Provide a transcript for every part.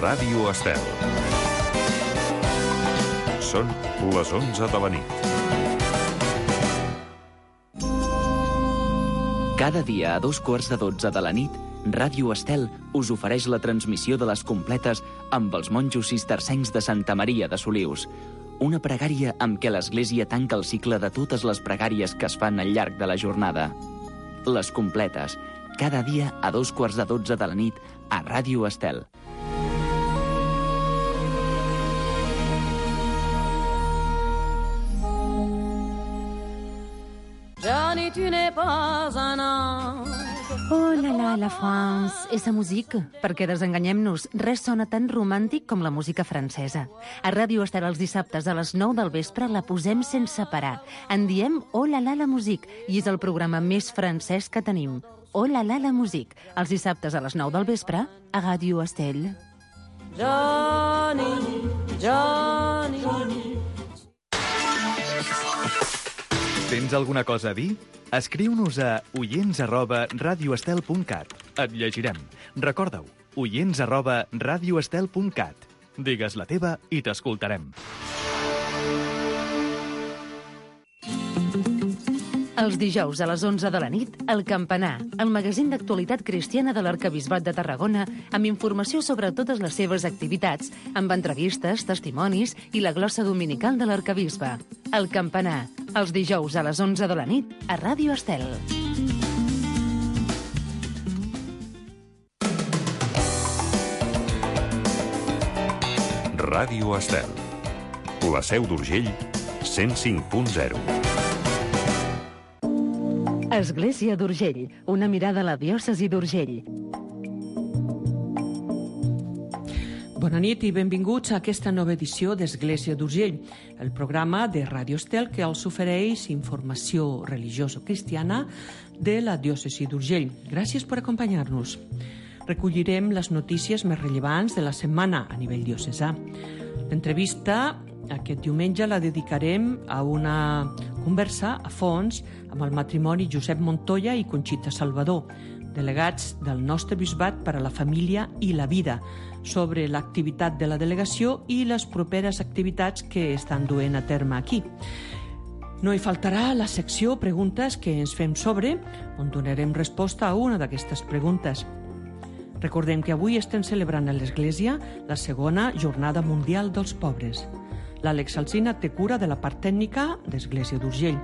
Ràdio Estel. Són les 11 de la nit. Cada dia a 2:15 de la nit, Ràdio Estel us ofereix la transmissió de les completes amb els monjos cistercencs de Santa Maria de Solius. Una pregària amb què l'Església tanca el cicle de totes les pregàries que es fan al llarg de la jornada. Les completes, cada dia a 2:15 de la nit a Ràdio Estel. Johnny, tu n'es pas un ange. Oh la France, esa música. Perquè desenganyem-nos, res sona tan romàntic com la música francesa. A Ràdio Estel els dissabtes a les 9 del vespre la posem sense parar. En diem Oh la musique, i és el programa més francès que tenim. Oh la musique, els dissabtes a les 9 del vespre a Ràdio Estel. Johnny, Johnny, Johnny. Tens alguna cosa a dir? Escriu-nos a oients@radioestel.cat. Et llegirem. Recorda-ho, oients@radioestel.cat. Digues la teva i t'escoltarem. Els dijous a les 11 de la nit, El Campanar, el magazín d'actualitat cristiana de l'Arquebisbat de Tarragona, amb informació sobre totes les seves activitats, amb entrevistes, testimonis i la glossa dominical de l'Arquebisbe. El Campanar, els dijous a les 11 de la nit, a Ràdio Estel. Ràdio Estel. La Seu d'Urgell, 105.0. Església d'Urgell, una mirada a la diòcesi d'Urgell. Bona nit i benvinguts a aquesta nova edició d'Església d'Urgell, el programa de Ràdio Estel que els ofereix informació religiosa-cristiana de la diòcesi d'Urgell. Gràcies per acompanyar-nos. Recollirem les notícies més rellevants de la setmana a nivell diocesà. L'entrevista aquest diumenge la dedicarem a una conversa a fons amb el matrimoni Josep Montoya i Conxita Salvador, delegats del nostre bisbat per a la família i la vida, sobre l'activitat de la delegació i les properes activitats que estan duent a terme aquí. No hi faltarà la secció Preguntes que ens fem sobre, on donarem resposta a una d'aquestes preguntes. Recordem que avui estem celebrant a l'Església la segona Jornada Mundial dels Pobres. L'Àlex Alsina té cura de la part tècnica d'Església d'Urgell.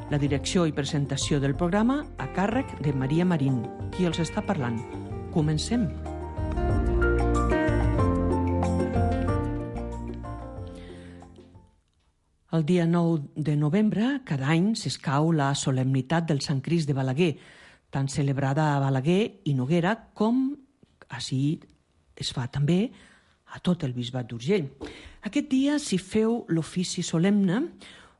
La direcció i presentació del programa a càrrec de Maria Marín, qui els està parlant. Comencem. El dia 9 de novembre, cada any, s'escau la solemnitat del Sant Crist de Balaguer, tan celebrada a Balaguer i Noguera com així es fa també a tot el bisbat d'Urgell. Aquest dia s'hi feu l'ofici solemne,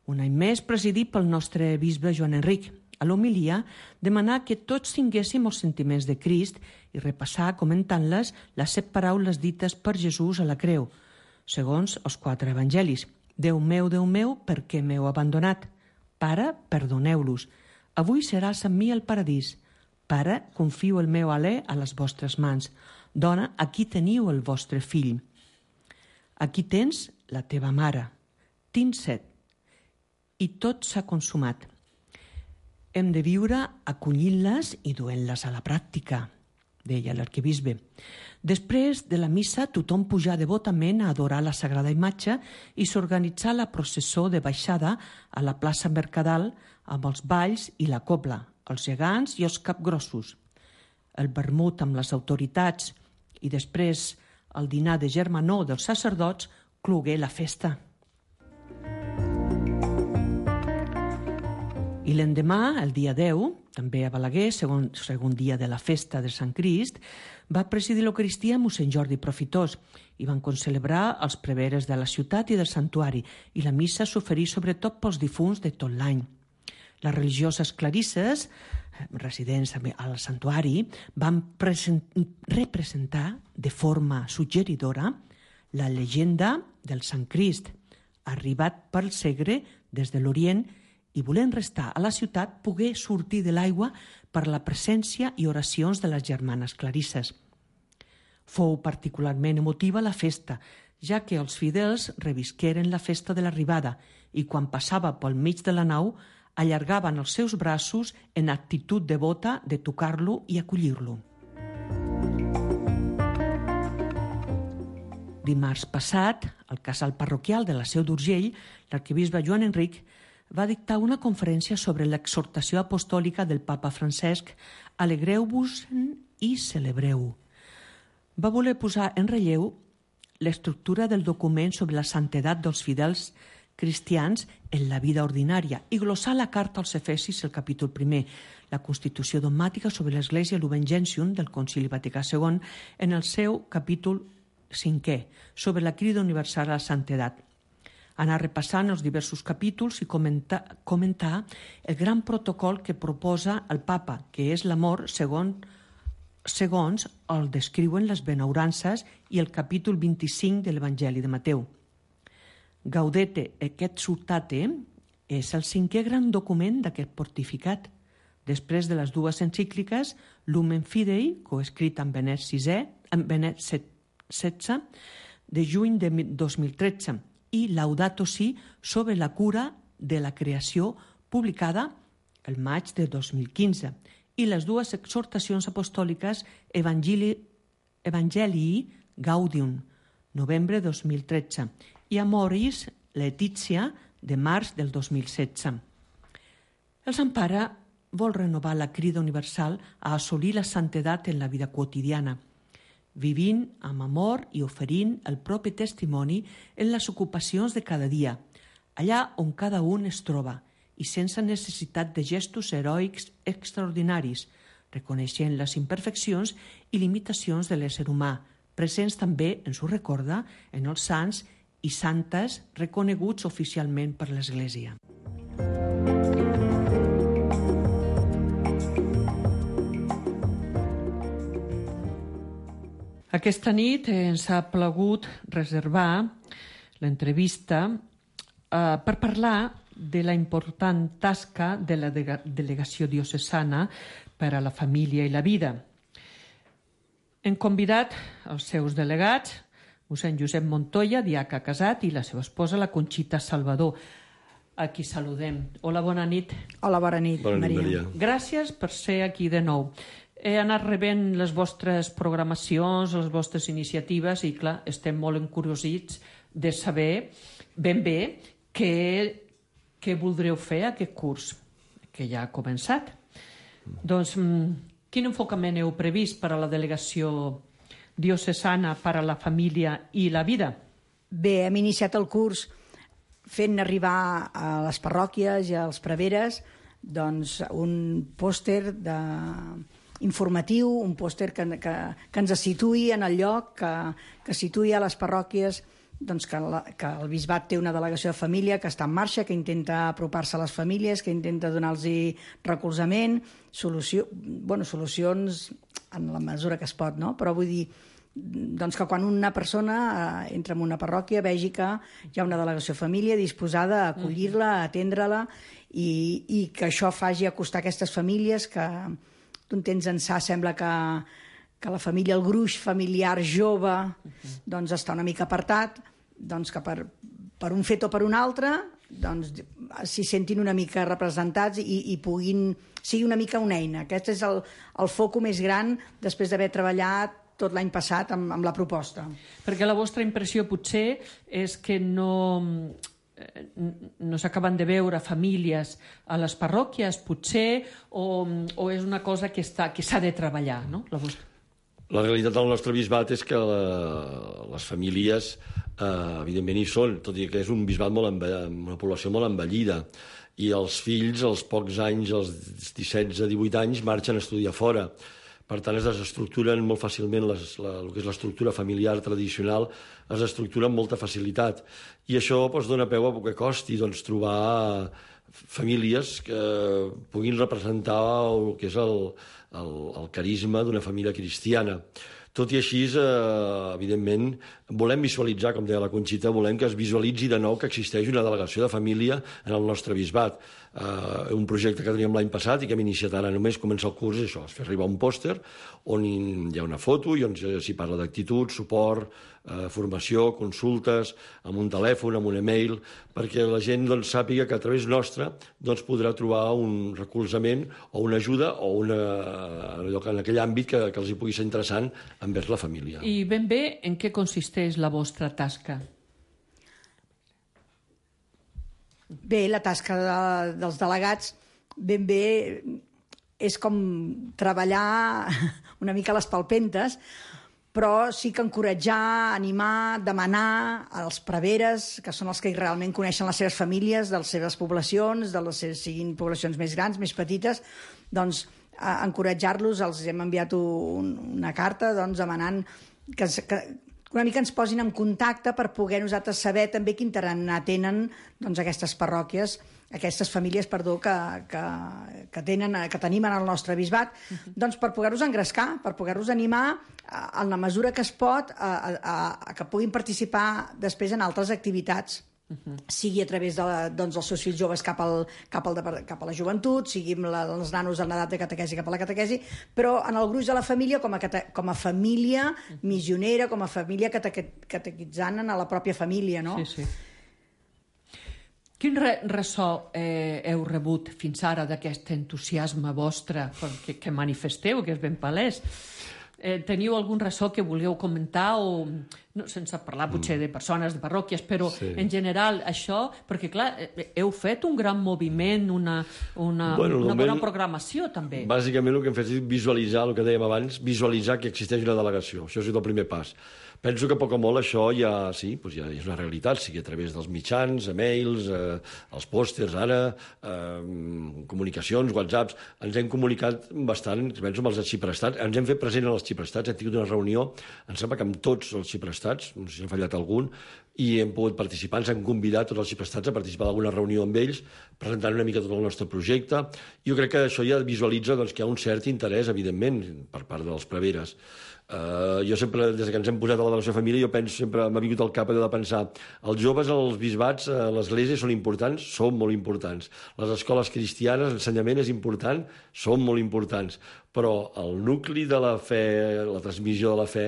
un any més presidit pel nostre bisbe Joan Enric. A l'homilia, demanar que tots tinguéssim els sentiments de Crist i repassar, comentant-les, les 7 paraules dites per Jesús a la creu, segons els 4 evangelis. Déu meu, per què m'heu abandonat? Pare, perdoneu-los. Avui seràs amb mi al paradís. Pare, confio el meu alè a les vostres mans. Dona, aquí teniu el vostre fill. Aquí tens la teva mare. Tinc set. I tot s'ha consumat. Hem de viure acollint-les i duent-les a la pràctica, deia l'arquebisbe. Després de la missa, tothom pujà devotament a adorar la Sagrada Imatge i s'organitzà la processó de baixada a la plaça Mercadal amb els balls i la cobla, els gegants i els capgrossos. El vermut amb les autoritats i després el dinar de germanor dels sacerdots clogué la festa. I l'endemà, el dia 10, també a Balaguer, segon dia de la festa de Sant Crist, va presidir l'Eucaristia mossèn Jordi Profitós i van concelebrar els preveres de la ciutat i del santuari i la missa s'oferí sobretot pels difunts de tot l'any. Les religioses clarisses, residents al santuari, van representar de forma suggeridora la llegenda del Sant Crist, arribat pel Segre des de l'Orient i volent restar a la ciutat pogué sortir de l'aigua per la presència i oracions de les germanes clarisses. Fou particularment emotiva la festa, ja que els fidels revisqueren la festa de l'arribada i quan passava pel mig de la nau allargaven els seus braços en actitud devota de tocar-lo i acollir-lo. Dimarts passat, al casal parroquial de la Seu d'Urgell, l'arquebisbe Joan Enric va dictar una conferència sobre l'exhortació apostòlica del papa Francesc Alegreu-vos i celebreu. Va voler posar en relleu l'estructura del document sobre la santedat dels fidels cristians en la vida ordinària i glossar la carta als Efesis, el capítol 1, la Constitució dogmàtica sobre l'Església Lumen Gentium del Concili Vaticà II, en el seu capítol 5è, sobre la crida universal a la santedat. Anar repassant els diversos capítols i comentar el gran protocol que proposa el papa, que és l'amor segons el descriuen les benaurances i el capítol 25 de l'Evangeli de Mateu. Gaudete et exsultate és el 5è gran document d'aquest pontificat, després de les dues encícliques Lumen Fidei, coescrit amb Benet XVI, de juny de 2013, i Laudato Si sobre la cura de la creació, publicada el maig de 2015, i les dues exhortacions apostòliques Evangelii Gaudium, novembre 2013, i Amoris Laetitia, de març del 2016. El Sant Pare vol renovar la crida universal a assolir la santedat en la vida quotidiana, vivint amb amor i oferint el propi testimoni en les ocupacions de cada dia, allà on cada un es troba, i sense necessitat de gestos heroics extraordinaris, reconeixent les imperfeccions i limitacions de l'ésser humà, presents també, ens ho recorda, en els sants i santes reconeguts oficialment per l'Església. Aquesta nit ens ha plagut reservar l'entrevista per parlar de la important tasca de la delegació diocesana per a la família i la vida. Hem convidat els seus delegats, mossèn Josep Montoya, diaca casat, i la seva esposa, la Conxita Salvador, a qui saludem. Hola, bona nit. Hola, bona nit, Maria. Gràcies per ser aquí de nou. He anat rebent les vostres programacions, les vostres iniciatives i, clar, estem molt encuriosits de saber ben bé què voldreu fer aquest curs, que ja ha començat. Doncs, quin enfocament heu previst per a la delegació diocesana per a la família i la vida? Bé, hem iniciat el curs fent arribar a les parròquies i als preveres doncs, un pòster informatiu, un pòster que ens situï en el lloc, que situï a les parròquies doncs, que el bisbat té una delegació de família que està en marxa, que intenta apropar-se a les famílies, que intenta donar-los recolzament, solucions en la mesura que es pot, no? Però vull dir doncs que quan una persona entra en una parròquia vegi que hi ha una delegació de família disposada a acollir-la, a atendre-la i que això faci acostar aquestes famílies que d'un temps ençà sembla que la família, el gruix familiar jove doncs està una mica apartat, doncs que per un fet o per un altre doncs s'hi sentin una mica representats i puguin sigui una mica una eina. Aquest és el foco més gran després d'haver treballat tot l'any passat amb la proposta. Perquè la vostra impressió potser és que no s'acaben de veure famílies a les parròquies, potser, o és una cosa que s'ha de treballar, no? La realitat del nostre bisbat és que les famílies, evidentment, hi són, tot i que és un bisbat amb una població molt envellida, i els fills, als pocs anys, als 17 a 18 anys, marxen a estudiar fora. Per tant, es desestructuren molt fàcilment el que és l'estructura familiar tradicional, es desestructura amb molta facilitat. I això dona peu a poc que costi trobar famílies que puguin representar el que és el carisma d'una família cristiana. Tot i així, evidentment, volem visualitzar, com deia la Conxita, volem que es visualitzi de nou que existeix una delegació de família en el nostre bisbat. Un projecte que teníem l'any passat i que hem iniciat ara només comença el curs, això, es fer arribar un pòster on hi ha una foto i on s'hi parla d'actitud, suport, formació, consultes, amb un telèfon, amb un e-mail, perquè la gent sàpiga que a través nostre podrà trobar un recolzament o una ajuda o en aquell àmbit que els hi pugui ser interessant envers la família. I ben bé, en què consisteix la vostra tasca? Bé, la tasca dels delegats ben bé és com treballar una mica a les palpentes, però sí que encoratjar, animar, demanar als preveres, que són els que realment coneixen les seves famílies, de les seves poblacions, siguin poblacions més grans, més petites, doncs encoratjar-los. Els hem enviat una carta demanant que una mica ens posin en contacte per poder nosaltres saber també quin tarannà tenen aquestes parròquies, aquestes famílies, que tenim en el nostre bisbat, doncs per poder-los engrescar, per poder-los animar en la mesura que es pot a que puguin participar després en altres activitats, sigui a través dels seus fills joves cap a la joventut, sigui els nanos en edat de catequesi cap a la catequesi, però en el gruix de la família com a família missionera, com a família catequitzant a la pròpia família, no? Sí, sí. Quin ressò heu rebut fins ara d'aquest entusiasme vostre que manifesteu, que és ben palès? Teniu algun ressò que voleu comentar o sense parlar potser de persones, de parròquies, però en general això, perquè clar, heu fet un gran moviment, una bona programació també. Bàsicament el que hem fet és visualitzar, el que dèiem abans, visualitzar que existeix una delegació. Això és el primer pas. Penso que a poc o molt això ja és una realitat, sigui a través dels mitjans, e-mails, els pòsters ara, comunicacions, whatsapps. Ens hem comunicat bastant, penso, amb els arxiprestats. Ens hem fet present als arxiprestats, hem tingut una reunió, em sembla que amb tots els arxiprestats, no sé si n'ha fallat algun, i hem pogut participar, ens han convidat tots els arxiprestats a participar d'alguna reunió amb ells, presentant una mica tot el nostre projecte. Jo crec que això ja visualitza que hi ha un cert interès, evidentment, per part dels preveres. Jo sempre, des que ens hem posat a la delegació de família, jo penso, sempre m'ha vingut al cap de pensar, els joves als bisbats, a l'església són importants, són molt importants. Les escoles cristianes, l'ensenyament és important, són molt importants. Però el nucli de la fe, la transmissió de la fe,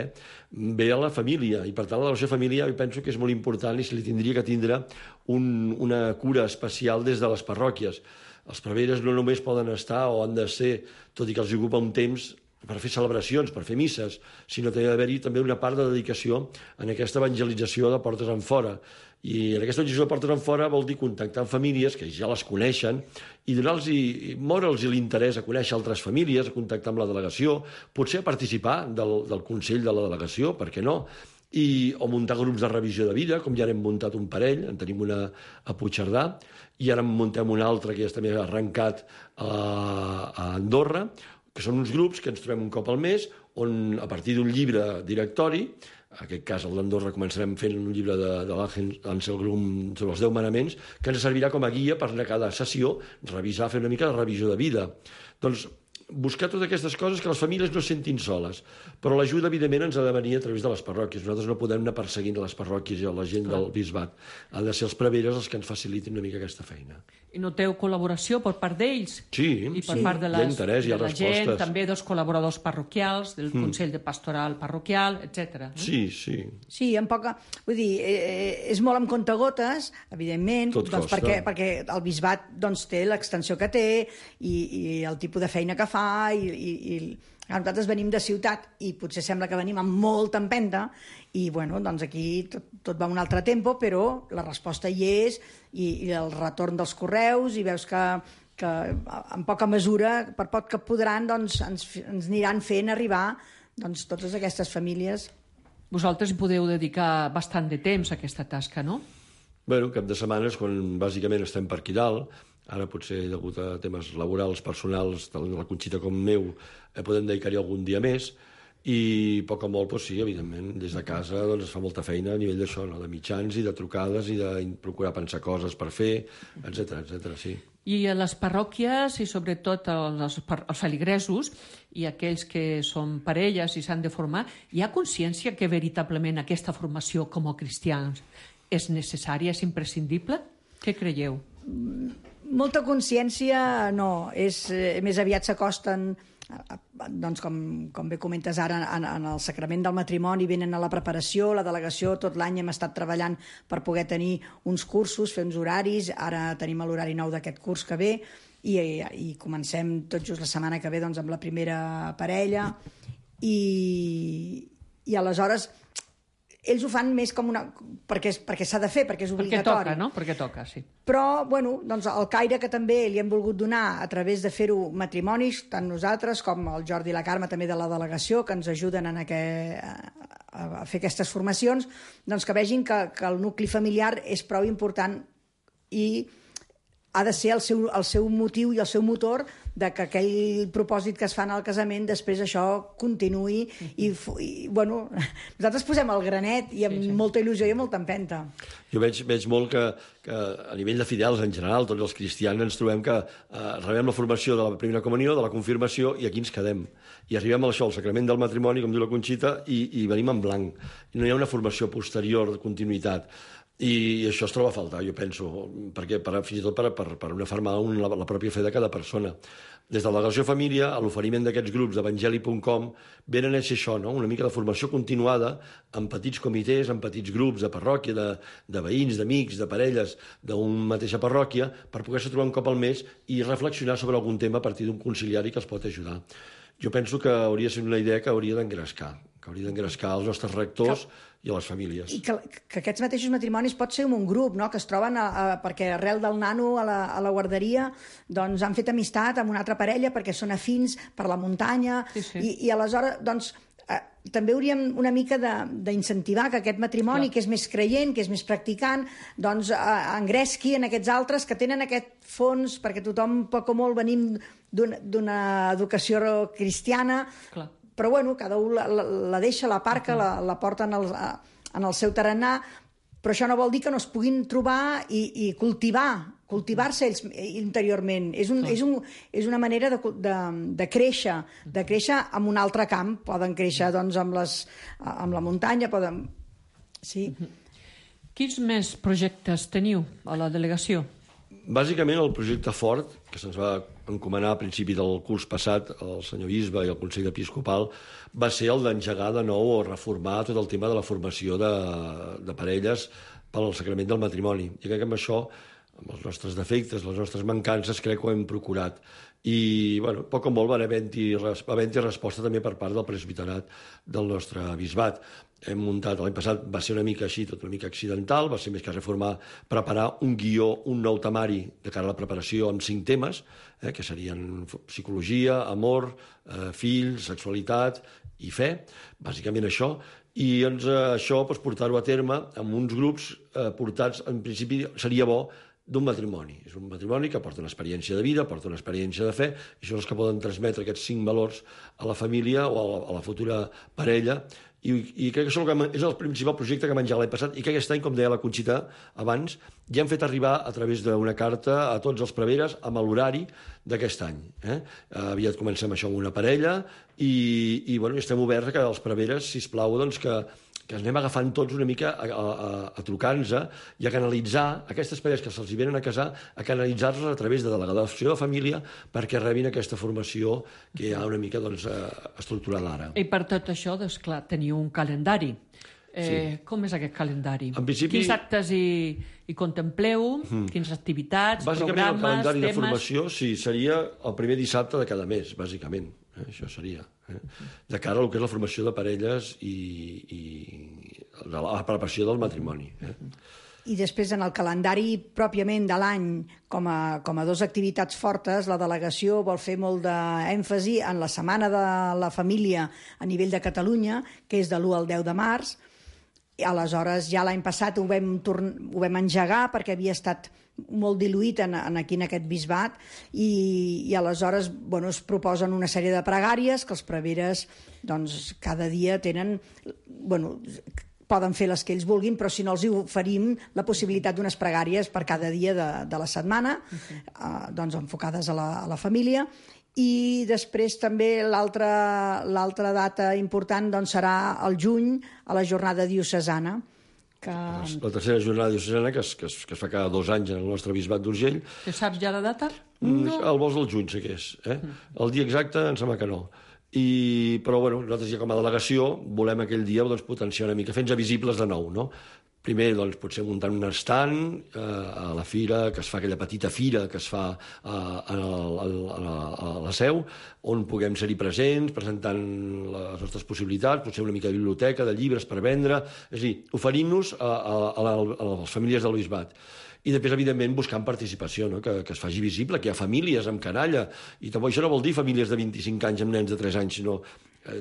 ve a la família, i per tant la delegació de família jo penso que és molt important i se li tindria que tindre una cura especial des de les parròquies. Els preveres no només poden estar o han de ser, tot i que els ocupa un temps, per fer celebracions, per fer misses, sinó que ha d'haver-hi també una part de dedicació en aquesta evangelització de portes enfora. I en aquesta evangelització de portes enfora vol dir contactar amb famílies que ja les coneixen i moure'ls l'interès a conèixer altres famílies, a contactar amb la delegació, potser a participar del Consell de la delegació, per què no? O muntar grups de revisió de vida, com ja n'hem muntat un parell, en tenim una a Puigcerdà, i ara en muntem un altre que ja està més arrencat a Andorra, que són uns grups que ens trobem un cop al mes, on a partir d'un llibre directori, en aquest cas el d'Andorra començarem fent un llibre de l'Àngel Grum sobre els 10 manaments, que ens servirà com a guia per a cada sessió revisar, fer una mica de revisió de vida. Doncs buscar totes aquestes coses que les famílies no es sentin soles, però l'ajuda evidentment ens ha de venir a través de les parròquies. Nosaltres no podem anar perseguint les parròquies i la gent del bisbat. Han de ser els preveres els que ens facilitin una mica aquesta feina. I noteu col·laboració per part d'ells? Sí, i per part de la gent, també dels col·laboradors parroquials, del Consell de Pastoral Parroquial, etc. Sí, sí. Sí, vull dir, és molt amb comptagotes, evidentment, perquè el bisbat té l'extensió que té i el tipus de feina que fa, i nosaltres venim de ciutat i potser sembla que venim amb molta empenta i aquí tot va a un altre tempo, però la resposta hi és i el retorn dels correus, i veus que en poca mesura, per poc que podran, ens aniran fent arribar totes aquestes famílies. Vosaltres hi podeu dedicar bastant de temps a aquesta tasca, no? Bé, cap de setmana és quan bàsicament estem per aquí dalt. Ara potser, degut a temes laborals, personals, tant la Conxita com meu, podem dedicar-hi algun dia més. i poc o molt, doncs sí, evidentment, des de casa doncs, es fa molta feina a nivell d'això, no? De mitjans i de trucades i de procurar pensar coses per fer, etc, sí. I a les parròquies i sobretot els feligresos i aquells que són parelles i s'han de formar, hi ha consciència que veritablement aquesta formació com a cristians és necessària, és imprescindible? Què creieu? Molta consciència no, més aviat s'acosten, doncs com bé comentes ara, en el sacrament del matrimoni, venen a la preparació, la delegació, tot l'any hem estat treballant per poder tenir uns cursos, fer uns horaris, ara tenim l'horari nou d'aquest curs que ve, i comencem tot just la setmana que ve doncs, amb la primera parella, i aleshores ells ho fan més com perquè s'ha de fer, perquè és obligatori. Perquè toca, no? Perquè toca, sí. Però, bueno, doncs el caire que també li hem volgut donar a través de fer-ho matrimonis, tant nosaltres com el Jordi i la Carme també de la delegació, que ens ajuden a fer aquestes formacions, doncs que vegin que el nucli familiar és prou important i ha de ser el seu motiu i el seu motor de que aquell propòsit que es fan al casament després això continuï i bueno, nosaltres posem el granet i amb molta il·lusió i amb molta empenta. Jo veig molt que a nivell de fidels en general, tots els cristians ens trobem que rebem la formació de la primera comunió, de la confirmació, i aquí ens quedem. I arribem a això, al sacrament del matrimoni, com diu la Conxita, i venim en blanc. I no hi ha una formació posterior de continuïtat. I això es troba a faltar, jo penso, perquè fins i tot per una fermar la pròpia fe de cada persona. Des de la delegació família, a l'oferiment d'aquests grups d'evangeli.com, venen a ser això, no? Una mica de formació continuada en petits comitès, en petits grups de parròquia, de veïns, d'amics, de parelles d'una mateixa parròquia, per poder-se trobar un cop al mes i reflexionar sobre algun tema a partir d'un conciliari que els pot ajudar. Jo penso que hauria de ser una idea que hauria d'engrescar els nostres rectors i a les famílies. I que aquests mateixos matrimonis pot ser un grup, no? Que es troben perquè arrel del nano a la guarderia doncs han fet amistat amb una altra parella perquè són afins per la muntanya, i aleshores doncs també hauríem una mica d'incentivar que aquest matrimoni, que és més creient, que és més practicant, doncs engresqui en aquests altres que tenen aquest fons, perquè tothom poc o molt venim d'una educació cristiana, però bueno, cada un la deixa, la parca, la porta en el seu tarannà, però això no vol dir que no es puguin trobar i cultivar-se ells interiorment. És una manera de créixer en un altre camp. Poden créixer doncs, amb la muntanya, poden... Sí. Quins més projectes teniu a la delegació? Bàsicament el projecte fort, que se'ns va encomanar a principi del curs passat al senyor bisbe i al Consell Episcopal, va ser el d'engegar de nou o reformar tot el tema de la formació de parelles pel sacrament del matrimoni. I crec que amb això, amb els nostres defectes, les nostres mancances, crec que ho hem procurat. I, bueno, poc o molt va haver-hi resposta també per part del presbiterat del nostre bisbat. Hem muntat, l'any passat va ser una mica així, tot una mica accidental, va ser més que preparar un guió, un nou temari de cara a la preparació amb 5 temes, que serien psicologia, amor, fills, sexualitat i fe, bàsicament això, i això portar-ho a terme amb uns grups portats, en principi seria bo, d'un matrimoni. És un matrimoni que porta una experiència de vida, porta una experiència de fe, i són els que poden transmetre aquests 5 valors a la família o a la futura parella, i crec que això és el principal projecte que hem engegat l'any passat, i que aquest any, com deia la Conxita abans, ja hem fet arribar a través d'una carta a tots els preveres amb l'horari d'aquest any. Aviat comencem això amb una parella, i bueno, estem oberts a que els preveres, sisplau, doncs que anem agafant tots una mica a trucar-nos i a canalitzar aquestes parelles que se'ls venen a casar, a canalitzar-los a través de delegació de família perquè rebin aquesta formació que hi ha una mica estructurada ara. I per tot això, doncs clar, teniu un calendari. Com és aquest calendari? En principi... Quins actes hi contempleu? Quines activitats, bàsicament, programes, el calendari temes? de formació seria el primer dissabte de cada mes, bàsicament. Això seria. De cara al que és la formació de parelles i la preparació del matrimoni. I després, en el calendari pròpiament de l'any, com a 2 activitats fortes, la delegació vol fer molt d'èmfasi en la Setmana de la Família a nivell de Catalunya, que és de l'1 al 10 de març, I aleshores ja l'any passat ho vam engegar perquè havia estat molt diluït aquí en aquest bisbat i aleshores es proposen una sèrie de pregàries que els preveres cada dia tenen... poden fer les que ells vulguin, però si no els oferim la possibilitat d'unes pregàries per cada dia de la setmana, enfocades a la família. I després també l'altra data important serà el juny, a la jornada diocesana. La tercera jornada diocesana que es fa cada 2 anys en el nostre bisbat d'Urgell. Que saps ja la data? No. El bosc del juny sé què és. El dia exacte em sembla que no. Però nosaltres ja com a delegació volem aquell dia potenciar una mica, fer-nos visibles de nou, no? Primer, potser muntant un estand a la fira, que es fa aquella petita fira que es fa a la Seu, on puguem ser-hi presents, presentant les nostres possibilitats, potser una mica de biblioteca, de llibres per vendre, és a dir, oferint-nos a les famílies del bisbat. I després, evidentment, buscant participació, no? Que es faci visible, que hi ha famílies amb canalla, i tampoc això no vol dir famílies de 25 anys amb nens de 3 anys, sinó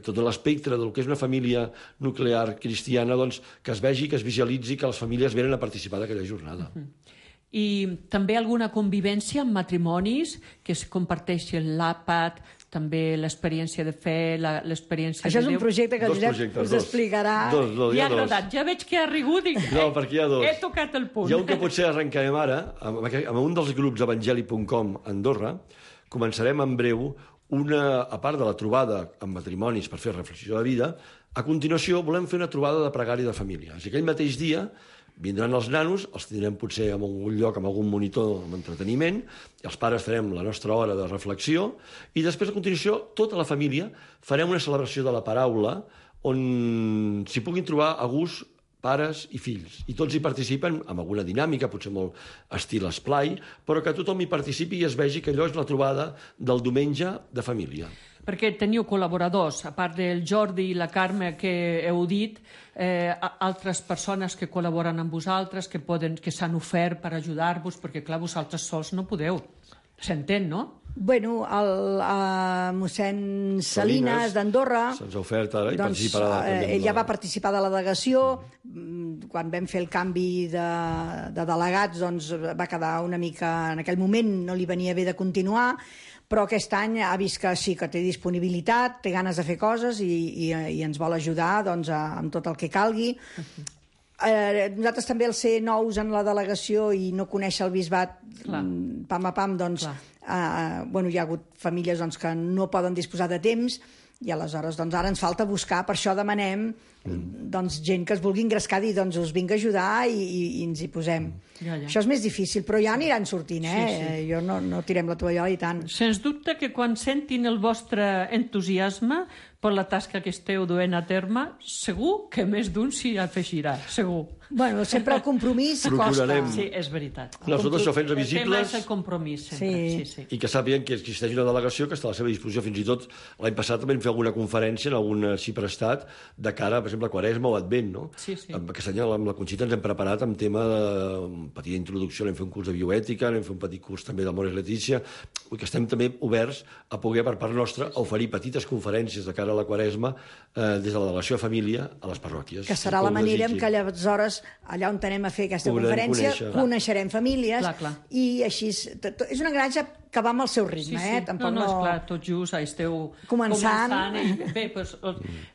tot l'espectre del que és una família nuclear cristiana, que es vegi, que es visualitzi, que les famílies venen a participar d'aquella jornada. I també alguna convivència amb matrimonis, que es comparteixi l'àpat, també l'experiència de fe, l'experiència de Déu. Això és un projecte que el Josep us explicarà. Li ha agradat. Ja veig que ha rigut. No, perquè hi ha 2. He tocat el punt. Hi ha un que potser arrencarem ara, amb un dels grups evangeli.com a Andorra. Començarem en breu a part de la trobada amb matrimonis per fer reflexió de vida, a continuació volem fer una trobada de pregària de família. És aquell mateix dia vindran els nanos, els tindrem potser en algun lloc, amb algun monitor amb entreteniment, i els pares farem la nostra hora de reflexió, i després, a continuació, tota la família farem una celebració de la paraula on s'hi puguin trobar a gust pares i fills. I tots hi participen amb alguna dinàmica, potser molt estil esplai, però que tothom hi participi i es vegi que allò és la trobada del diumenge de família. Perquè teniu col·laboradors, a part del Jordi i la Carme que heu dit, altres persones que col·laboren amb vosaltres, que s'han ofert per ajudar-vos, perquè clar, vosaltres sols no podeu. S'entén, no? Bueno, el mossèn Salines d'Andorra... Se'ns ha ofert ara i participarà també. Ell ja va participar de la delegació. Quan vam fer el canvi de delegats, doncs va quedar una mica... En aquell moment no li venia bé de continuar, però aquest any ha vist que sí, que té disponibilitat, té ganes de fer coses i ens vol ajudar amb tot el que calgui. Nosaltres també, al ser nous en la delegació i no conèixer el bisbat pam a pam, doncs hi ha hagut famílies que no poden disposar de temps i aleshores ara ens falta buscar, per això demanem gent que es vulgui engrescar i us vinc a ajudar i ens hi posem. Això és més difícil, però ja aniran sortint, Sí. Jo no tirem la tovallola i tant. Sens dubte que quan sentin el vostre entusiasme per la tasca que esteu duent a terme, segur que més d'un s'hi afegirà, segur. Bueno, sempre el compromís costa. Sí, és veritat. Nosaltres això fent-nos visibles... El tema és el compromís, sempre. Sí. I que sàpiguen que existeix una delegació que està a la seva disposició. Fins i tot l'any passat també vam fer alguna conferència en algun ciprestat de cara, per exemple, a Quaresma o Advent, no? Sí. Aquest any amb la Conxita ens hem preparat amb tema de petita introducció, hem fet un curs de bioètica, hem fet un petit curs també d'Amores Letícia, que estem també oberts a poder, per part nostra, oferir petites conferències de cara a la Quaresma des de la delegació de família a les parròquies. Que serà la manera en què aleshores, allà on anem a fer aquesta conferència, coneixerem famílies i així... És una granja que va amb el seu ritme, Tampoc no, esclar, tot just esteu començant. Bé, doncs,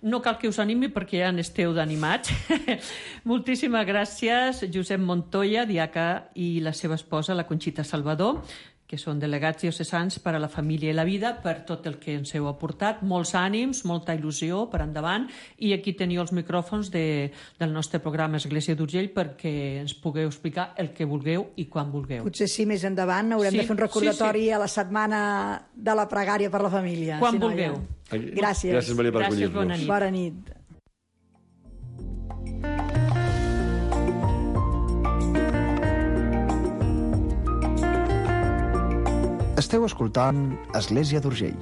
no cal que us animi perquè ja n'esteu d'animats. Moltíssimes gràcies, Josep Montoya, diaca, i la seva esposa, la Conxita Salvador, que són delegats diocesans per a la família i la vida, per tot el que ens heu aportat. Molts ànims, molta il·lusió per endavant, i aquí teniu els micròfons del nostre programa Església d'Urgell perquè ens pugueu explicar el que vulgueu i quan vulgueu. Potser sí, més endavant haurem de fer un recordatori a la setmana de la pregària per la família. Quan vulgueu. Gràcies. Gràcies, Maria, per acollir-nos. Bona nit. Bona nit. Esteu escoltant Església d'Urgell.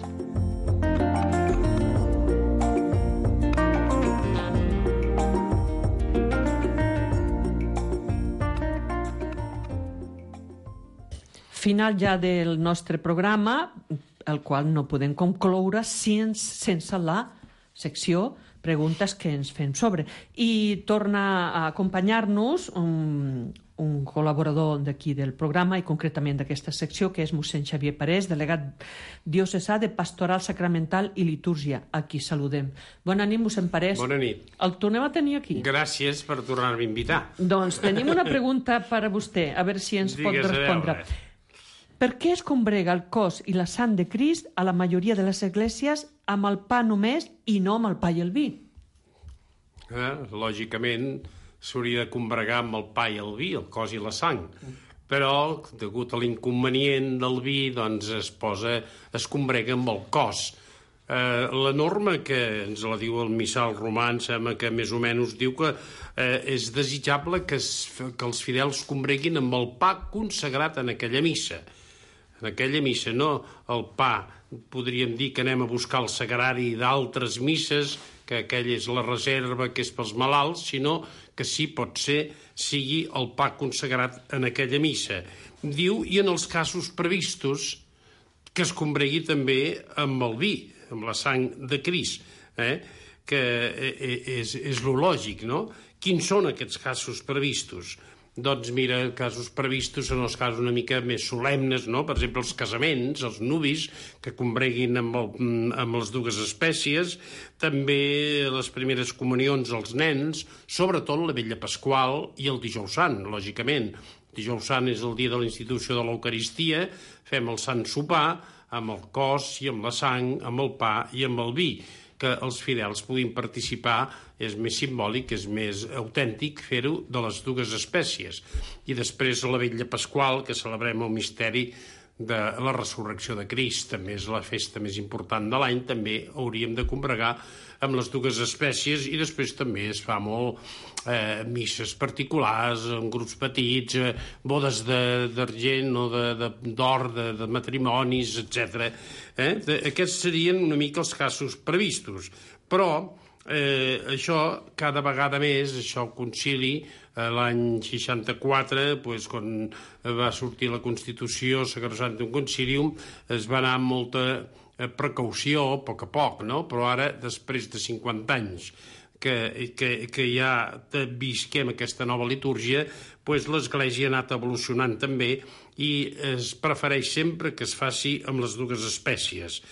Final ja del nostre programa, el qual no podem concloure sense la secció Preguntes que ens fem sobre. I torna a acompanyar-nos un col·laborador d'aquí del programa i concretament d'aquesta secció, que és mossèn Xavier Parés, delegat diocesà de Pastoral Sacramental i Litúrgia. Aquí saludem. Bona nit, mossèn Parés. Bona nit. El tornem a tenir aquí. Gràcies per tornar-me a invitar. Doncs tenim una pregunta per a vostè, a veure si ens pot respondre. Per què es combrega el cos i la sang de Crist a la majoria de les esglésies amb el pa només i no amb el pa i el vi? Lògicament, s'hauria de combregar amb el pa i el vi, el cos i la sang. Però, degut a l'inconvenient del vi, doncs es combrega amb el cos. La norma, que ens la diu el missal romà, em sembla que més o menys diu que és desitjable que els fidels combreguin amb el pa consagrat en aquella missa. En aquella missa, no el pa, podríem dir que anem a buscar el sagrari d'altres misses, que aquella és la reserva, que és pels malalts, sinó que sí, pot ser, sigui el pa consagrat en aquella missa. Diu, i en els casos previstos, que es combregui també amb el vi, amb la sang de Crist, que és lo lògic, no? Quins són aquests casos previstos? Doncs mira, casos previstos són els casos una mica més solemnes, no? Per exemple, els casaments, els nuvis, que combreguin amb les dues espècies, també les primeres comunions als nens, sobretot la vetlla pasqual i el dijous sant, lògicament. Dijous sant és el dia de la institució de l'Eucaristia, fem el sant sopar amb el cos i amb la sang, amb el pa i amb el vi. Que els fidels puguin participar és més simbòlic, és més autèntic fer-ho de les dues espècies. I després la vetlla pasqual, que celebrem el misteri de la resurrecció de Crist, també és la festa més important de l'any, també hauríem de combregar amb les dues espècies, i després també es fa molt misses particulars, en grups petits, bodes d'argent o d'or, de matrimonis, etc. Aquests serien una mica els casos previstos. Però això, cada vegada més, això el concili, l'any 64, quan va sortir la Constitució Sacrosanctum Concilium, es va anar amb molta precaució, a poc, no? Però ara, després de 50 anys que ja visquem aquesta nova litúrgia, l'Església ha anat evolucionant també i es prefereix sempre que es faci amb les dues espècies.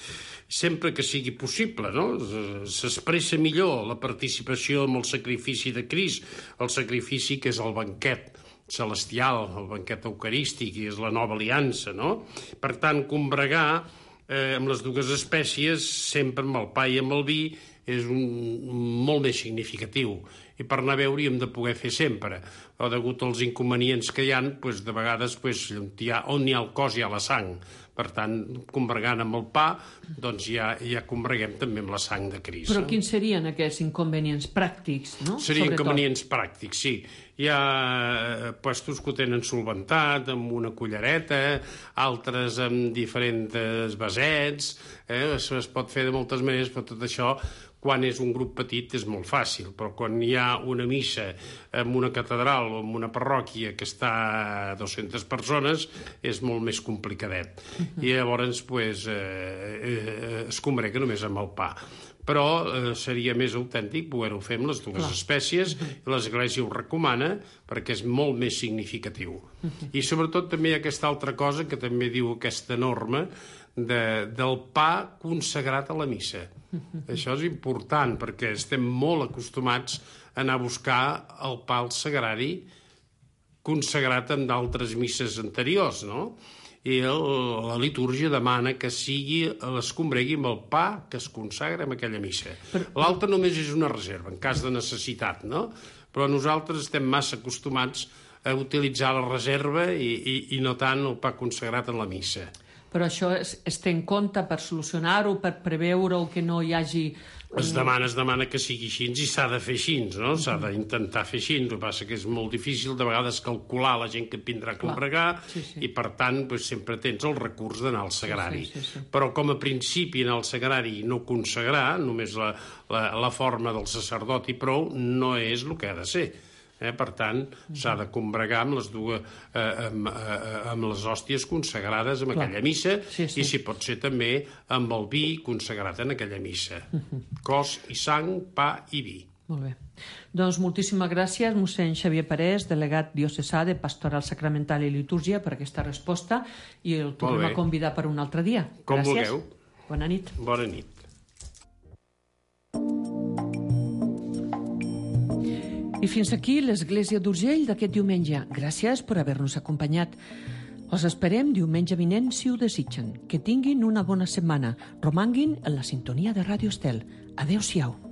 Sempre que sigui possible, no? S'expressa millor la participació amb el sacrifici de Crist, el sacrifici que és el banquet celestial, el banquet eucarístic, i és la nova aliança, no? Per tant, combregar amb les dues espècies, sempre amb el pa i amb el vi, és molt més significatiu. I per anar a veure hi hem de poder fer sempre. O degut als inconvenients que hi ha, de vegades on hi ha el cos hi ha la sang. Per tant, combregant amb el pa, doncs ja combreguem també amb la sang de Crist. Però quins serien aquests inconvenients pràctics, no? Serien inconvenients pràctics, sí. Hi ha puestos que ho tenen solventat, amb una cullereta, altres amb diferents vasets, es pot fer de moltes maneres, però tot això, quan és un grup petit, és molt fàcil, però quan hi ha una missa en una catedral o en una parròquia que està a 200 persones, és molt més complicadet. I llavors es combrega només amb el pa. Però seria més autèntic poder-ho fer amb les dues espècies, i l'Església ho recomana perquè és molt més significatiu. I sobretot també hi ha aquesta altra cosa que també diu aquesta norma del pa consagrat a la missa. Això és important perquè estem molt acostumats a anar a buscar el pa al sagrari consagrat en d'altres misses anteriors, no? I la litúrgia demana que es combregui amb el pa que es consagra en aquella missa. L'altre només és una reserva, en cas de necessitat, no? Però nosaltres estem massa acostumats a utilitzar la reserva i no tant el pa consagrat en la missa. Però això es té en compte per solucionar-ho, per preveure-ho, que no hi hagi... Es demana que sigui així i s'ha de fer així, no? S'ha d'intentar fer així. El que passa que és molt difícil de vegades calcular la gent que et vindrà a combregar i, per tant, sempre tens el recurs d'anar al sagrari. Però com a principi anar al sagrari i no consagrar, només la forma del sacerdot i prou, no és el que ha de ser. Per tant, s'ha de combregar amb les dues, amb les hòsties consagrades en aquella missa, i si pot ser també amb el vi consagrat en aquella missa. Cos i sang, pa i vi. Molt bé. Doncs moltíssimes gràcies, mossèn Xavier Parés, delegat diocesà de Pastoral Sacramental i Litúrgia, per aquesta resposta, i el tornem a convidar per un altre dia. Com vulgueu. Bona nit. Bona nit. I fins aquí l'Església d'Urgell d'aquest diumenge. Gràcies per haver-nos acompanyat. Us esperem diumenge vinent, si ho desitgen. Que tinguin una bona setmana. Romanguin en la sintonia de Ràdio Estel. Adéu-siau.